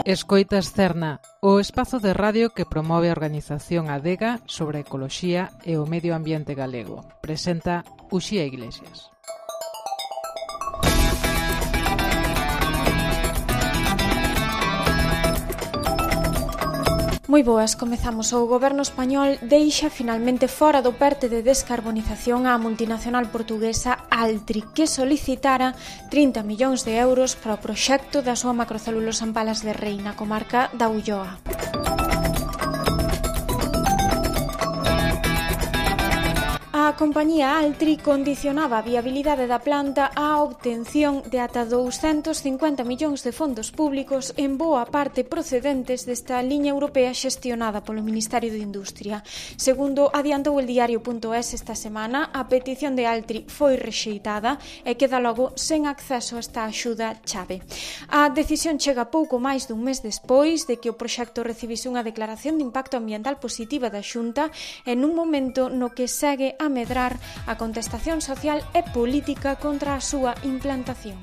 Escoitas Cerna, o espazo de radio que promove a organización Adega sobre a ecoloxía e o medio ambiente galego. Presenta Uxía Iglesias. Moi boas, comezamos. O goberno español deixa finalmente fora do PERTE de descarbonización á multinacional portuguesa Altri, que solicitara 30 millóns de euros para o proxecto da súa macrocelulosa en Palas de Rei, na comarca da Ulloa. A compañía Altri condicionaba a viabilidade da planta á obtención de ata 250 millóns de fondos públicos, en boa parte procedentes desta liña europea xestionada polo Ministerio de Industria. Segundo adiantou el diario.es esta semana, a petición de Altri foi rexeitada e queda logo sen acceso a esta axuda chave. A decisión chega pouco máis dun mes despois de que o proxecto recibise unha declaración de impacto ambiental positiva da Xunta en un momento no que segue a medrar a contestación social e política contra a súa implantación.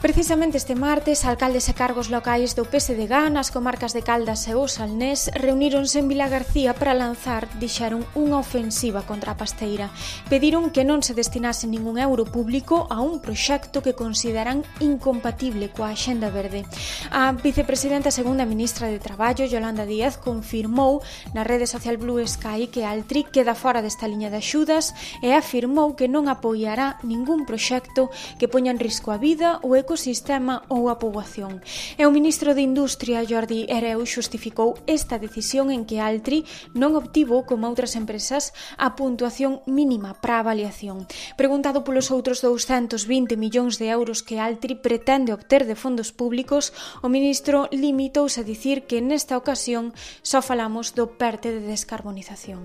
Precisamente este martes, alcaldes e cargos locais do PSDG nas comarcas de Caldas e o Salnés reuníronse en Vilagarcía para lanzar, dixeron, unha ofensiva contra a pasteira. Pediron que non se destinase ningún euro público a un proxecto que consideran incompatible coa Axenda Verde. A vicepresidenta segunda ministra de Traballo, Yolanda Díaz, confirmou na rede social Blue Sky que Altri queda fora desta liña de axudas e afirmou que non apoiará ningún proxecto que poña en risco a vida, o ecosistema ou a poboación. E o ministro de Industria, Jordi Hereu, xustificou esta decisión en que Altri non obtivo, como outras empresas, a puntuación mínima para a avaliación. Preguntado polos outros 220 millóns de euros que Altri pretende obter de fondos públicos, o ministro limitouse a dicir que nesta ocasión só falamos do PERTE de descarbonización.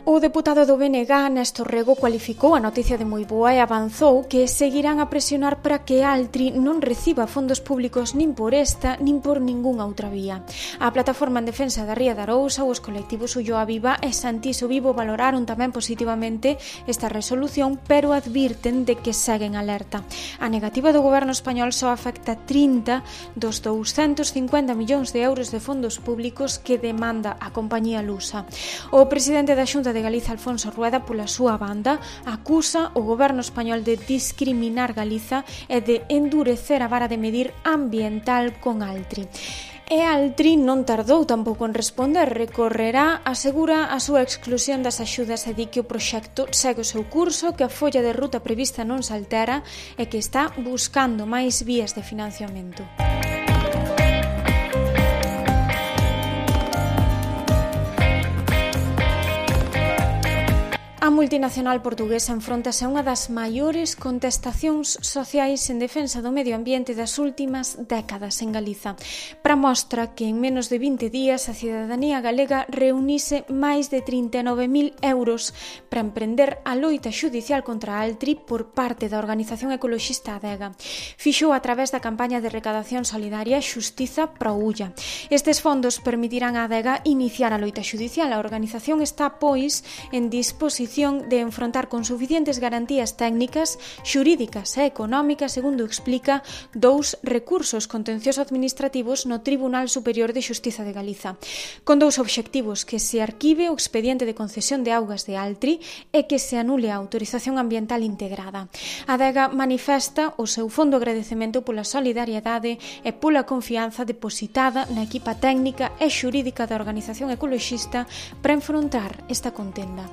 O deputado do BNG, Néstor Rego, cualificou a noticia de moi boa e avanzou que seguirán a presionar para que Altri non reciba fondos públicos nin por esta nin por ningunha outra vía. A plataforma en defensa da Ría de Arousa, os colectivos Ulloa Viva e Santiso Vivo valoraron tamén positivamente esta resolución, pero advirten de que seguen alerta. A negativa do goberno español só afecta 30 dos 250 millóns de euros de fondos públicos que demanda a compañía lusa. O presidente da Xunta de Galiza, Alfonso Rueda, pola súa banda, acusa o goberno español de discriminar Galiza e de endurecer a vara de medir ambiental con Altri. E Altri non tardou tampouco en responder, recorrerá, asegura a súa exclusión das axudas e di que o proxecto segue o seu curso, que a folla de ruta prevista non se altera e que está buscando máis vías de financiamento. A multinacional portuguesa enfróntase a unha das maiores contestacións sociais en defensa do medio ambiente das últimas décadas en Galiza. Para mostra que en menos de 20 días a cidadanía galega reunise máis de 39.000 euros para emprender a loita xudicial contra Altri por parte da organización ecoloxista Adega. Fixou a través da campaña de recadación solidaria Xustiza para Ulla. Estes fondos permitirán a Adega iniciar a loita xudicial. A organización está, pois, en disposición de enfrontar con suficientes garantías técnicas, xurídicas e económicas, segundo explica, 2 recursos contencioso-administrativos no Tribunal Superior de Xustiza de Galiza, con 2 obxectivos: que se arquive o expediente de concesión de augas de Altri e que se anule a autorización ambiental integrada. A Adega manifesta o seu fondo agradecemento pola solidariedade e pola confianza depositada na equipa técnica e xurídica da organización ecoloxista para enfrontar esta contenda.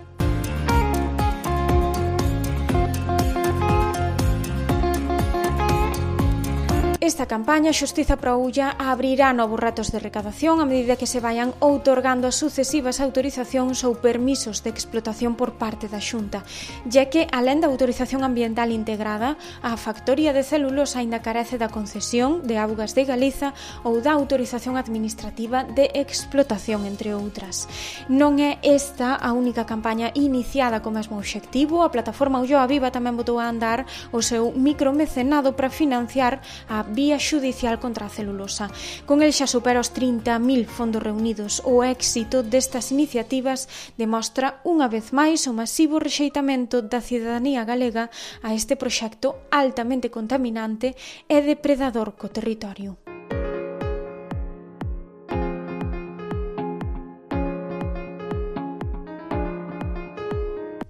Esta campaña, Xustiza para Ulla, abrirá novos retos de recadación a medida que se vayan outorgando as sucesivas autorizacións ou permisos de explotación por parte da Xunta, ya que, alén da autorización ambiental integrada, a factoría de celulosa aínda carece da concesión de Augas de Galiza ou da autorización administrativa de explotación, entre outras. Non é esta a única campaña iniciada co mesmo obxectivo. A plataforma Ulloa Viva tamén botou a andar o seu micromecenado para financiar a vía xudicial contra a celulosa. Con el xa supera os 30.000 fondos reunidos. O éxito destas iniciativas demostra unha vez máis o masivo rexeitamento da cidadanía galega a este proxecto altamente contaminante e depredador co territorio.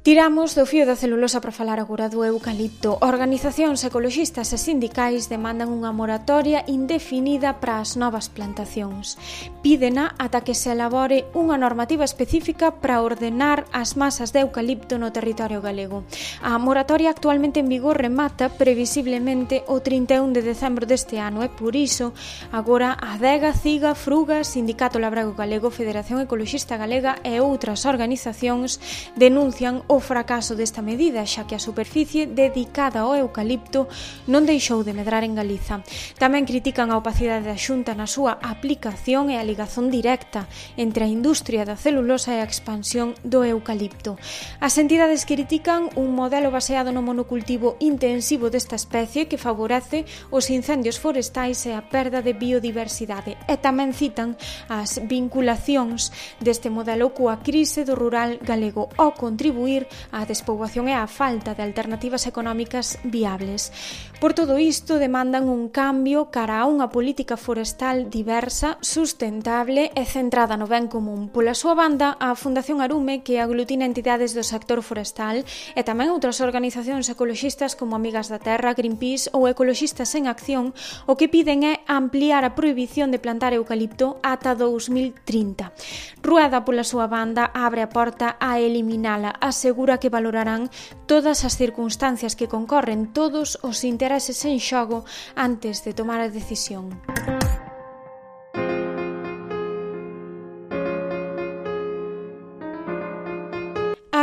Tiramos do fío da celulosa para falar agora do eucalipto. Organizacións ecoloxistas e sindicais demandan unha moratoria indefinida para as novas plantacións. Pídena ata que se elabore unha normativa específica para ordenar as masas de eucalipto no territorio galego. A moratoria actualmente en vigor remata previsiblemente o 31 de decembro deste ano e por iso agora a Adega, CIGA, Fruga, Sindicato Labrego Galego, Federación Ecoloxista Galega e outras organizacións denuncian o fracaso desta medida, xa que a superficie dedicada ao eucalipto non deixou de medrar en Galiza. Tamén critican a opacidade da Xunta na súa aplicación e a ligazón directa entre a industria da celulosa e a expansión do eucalipto. As entidades critican un modelo baseado no monocultivo intensivo desta especie que favorece os incendios forestais e a perda de biodiversidade e tamén citan as vinculacións deste modelo coa crise do rural galego ao contribuir á despoboación e á falta de alternativas económicas viables. Por todo isto, demandan un cambio cara a unha política forestal diversa, sustentable e centrada no ben común. Pola súa banda, a Fundación Arume, que aglutina entidades do sector forestal e tamén outras organizacións ecoloxistas como Amigas da Terra, Greenpeace ou Ecoloxistas en Acción, o que piden é ampliar a prohibición de plantar eucalipto ata 2030. Rueda, pola súa banda, abre a porta a eliminala, asegura que valorarán todas as circunstancias que concorren, todos os intereses en xogo antes de tomar a decisión.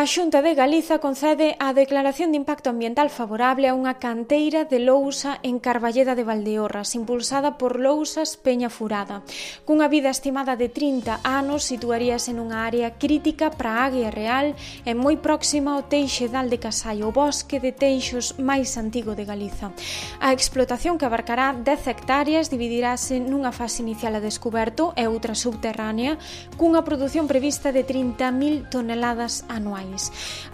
A Xunta de Galiza concede a declaración de impacto ambiental favorable a unha canteira de lousa en Carballeda de Valdeorras, impulsada por Lousas Peña Furada. Cunha vida estimada de 30 anos, situaríase nunha área crítica para a Águia Real e moi próxima ao Teixedal de Casai, o bosque de teixos máis antigo de Galiza. A explotación, que abarcará 10 hectáreas, dividirase nunha fase inicial a descoberto e outra subterránea, cunha produción prevista de 30.000 toneladas anuais.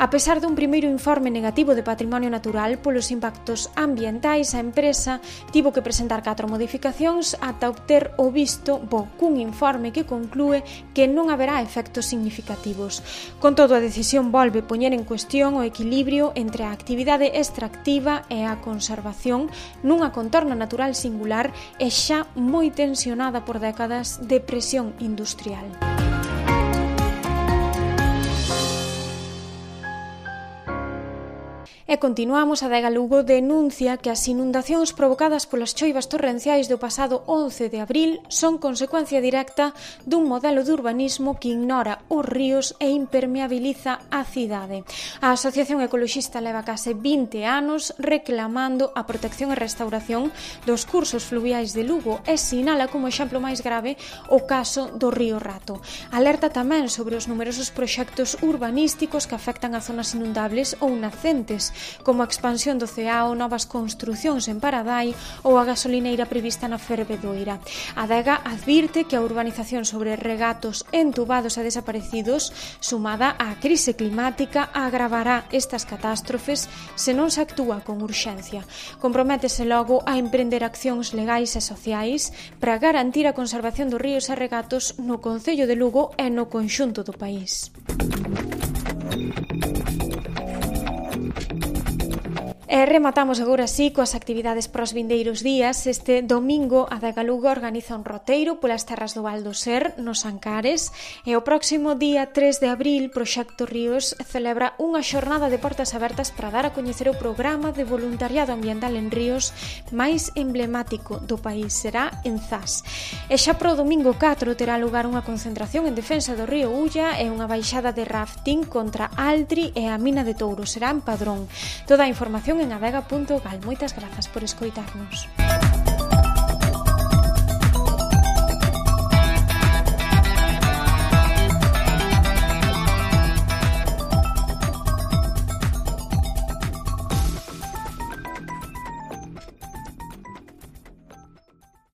A pesar dun primeiro informe negativo de patrimonio natural polos impactos ambientais, a empresa tivo que presentar 4 modificacións ata obter o visto bo cun informe que conclúe que non haberá efectos significativos. Con todo, a decisión volve poñer en cuestión o equilibrio entre a actividade extractiva e a conservación nunha contorna natural singular e xa moi tensionada por décadas de presión industrial. E continuamos. A Adega Lugo denuncia que as inundacións provocadas polas choivas torrenciais do pasado 11 de abril son consecuencia directa dun modelo de urbanismo que ignora os ríos e impermeabiliza a cidade. A Asociación Ecoloxista leva case 20 anos reclamando a protección e restauración dos cursos fluviais de Lugo e sinala como exemplo máis grave o caso do río Rato. Alerta tamén sobre os numerosos proxectos urbanísticos que afectan a zonas inundables ou nacentes, como a expansión do Ceao, novas construcións en Paradai ou a gasolineira prevista na Fervedoira. A Adega advirte que a urbanización sobre regatos entubados e desaparecidos, sumada á crise climática, agravará estas catástrofes se non se actúa con urxencia. Comprométese logo a emprender accións legais e sociais para garantir a conservación dos ríos e regatos no concello de Lugo e no conxunto do país. E rematamos agora así coas actividades para os vindeiros días. Este domingo a Adega Lugo organiza un roteiro polas terras do Val do Ser, nos Ancares, e o próximo día 3 de abril Proxecto Ríos celebra unha xornada de portas abertas para dar a coñecer o programa de voluntariado ambiental en ríos máis emblemático do país. Será en Zas. E xa pro domingo 4 terá lugar unha concentración en defensa do río Ulla e unha baixada de rafting contra Altri e a Mina de Touro. Será en Padrón. Toda a información en adega.gal. Moitas grazas por escoitarnos.